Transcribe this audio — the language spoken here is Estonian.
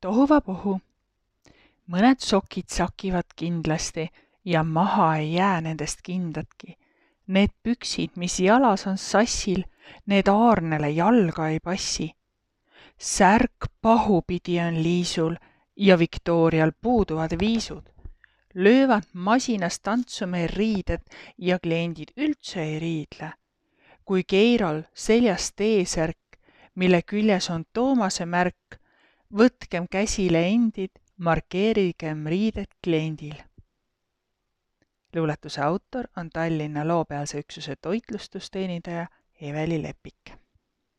Tohuvapohu. Mõned sokid sakivad kindlasti ja maha ei jää nendest kindadki. Need püksid, mis jalas on sassil, need aarnele jalga ei passi. Särk pahupidi on Liisul ja Viktorial puuduvad viisud. Löövad masinas tantsu meil riided ja kliendid üldse ei riidle. Kui Keirol seljas T-särk, mille küljes on Toomase märk, võtkem käsile endid, markeerigem riided kliendil. Luuletuse autor on Tallinna loopealse üksuse toitlustusteenindaja Eveli Lepik.